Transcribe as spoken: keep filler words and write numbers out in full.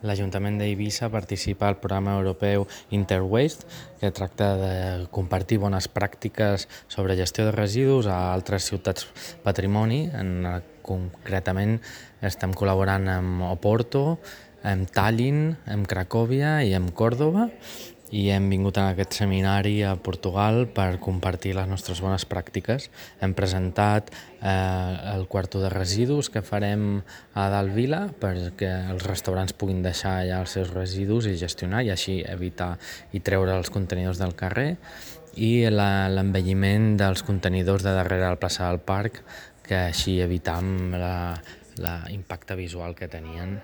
L'Ajuntament d'Eivissa participa al programa europeu Interwaste, que tracta de compartir bones pràctiques sobre gestió de residus a altres ciutats patrimoni. En, concretament estem col·laborant amb Oporto, amb Tallinn, amb Cracòvia i amb Còrdova, i hem vingut a aquest seminari a Portugal per compartir les nostres bones pràctiques. Hem presentat eh, el quarto de residus que farem a Dalt Vila perquè els restaurants puguin deixar allà els seus residus i gestionar i així evitar i treure els contenidors del carrer, i la, l'envelliment dels contenidors de darrere la plaça del Parc, que així evitam la, la impacte visual que tenien.